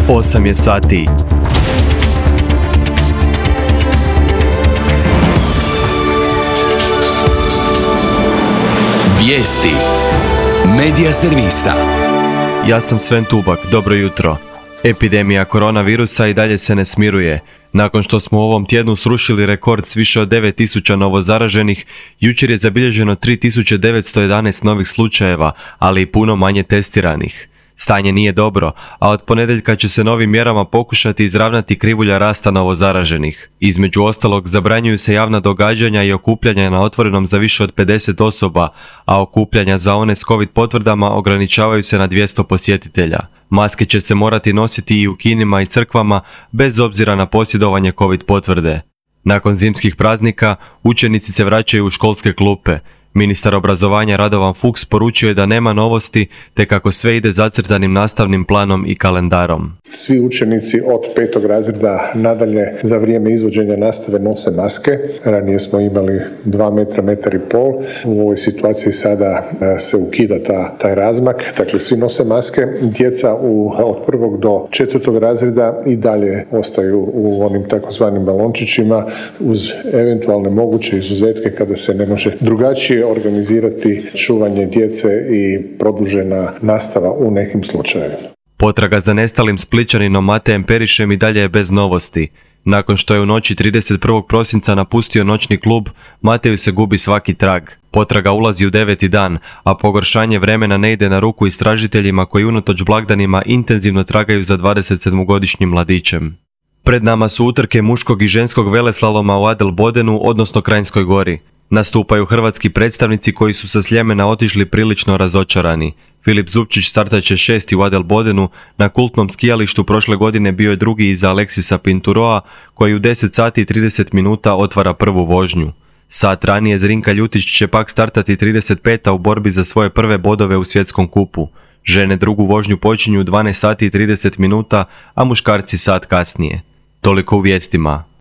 8 je sati. Vijesti Medija servisa. Ja sam Sven Tubak, dobro jutro. Epidemija koronavirusa i dalje se ne smiruje. Nakon što smo u ovom tjednu srušili rekord s više od 9000 novozaraženih, jučer je zabilježeno 3911 novih slučajeva, ali i puno manje testiranih. Stanje nije dobro, a od ponedjeljka će se novim mjerama pokušati izravnati krivulja rasta novozaraženih. Između ostalog, zabranjuju se javna događanja i okupljanja na otvorenom za više od 50 osoba, a okupljanja za one s COVID potvrdama ograničavaju se na 200 posjetitelja. Maske će se morati nositi i u kinima i crkvama, bez obzira na posjedovanje COVID potvrde. Nakon zimskih praznika, učenici se vraćaju u školske klupe. Ministar obrazovanja Radovan Fuchs poručio je da nema novosti, te kako sve ide zacrtanim nastavnim planom i kalendarom. Svi učenici od 5. razreda nadalje za vrijeme izvođenja nastave nose maske. Ranije smo imali 2 metra, 1,5 metra. U ovoj situaciji sada se ukida taj razmak. Dakle, svi nose maske. Djeca od 1. do 4. razreda i dalje ostaju u onim takozvanim balončićima uz eventualne moguće izuzetke kada se ne može drugačije organizirati čuvanje djece i produžena nastava u nekim slučajevima. Potraga za nestalim Splićaninom Matejem Perišem i dalje je bez novosti. Nakon što je u noći 31. prosinca napustio noćni klub, Mateju se gubi svaki trag. Potraga ulazi u 9. dan, a pogoršanje vremena ne ide na ruku istražiteljima koji unatoč blagdanima intenzivno tragaju za 27-godišnjim mladićem. Pred nama su utrke muškog i ženskog veleslaloma u Adelbodenu, odnosno Kranjskoj Gori. Nastupaju hrvatski predstavnici koji su sa Sljemena otišli prilično razočarani. Filip Zupčić startat će 6. u Adelbodenu, na kultnom skijalištu prošle godine bio je drugi iza Aleksisa Pinturoa, koji u 10 sati i 30 minuta otvara prvu vožnju. Sat ranije Zrinka Ljutić će pak startati 35. u borbi za svoje prve bodove u svjetskom kupu. Žene drugu vožnju počinju u 12 sati i 30 minuta, a muškarci sat kasnije. Toliko u vijestima.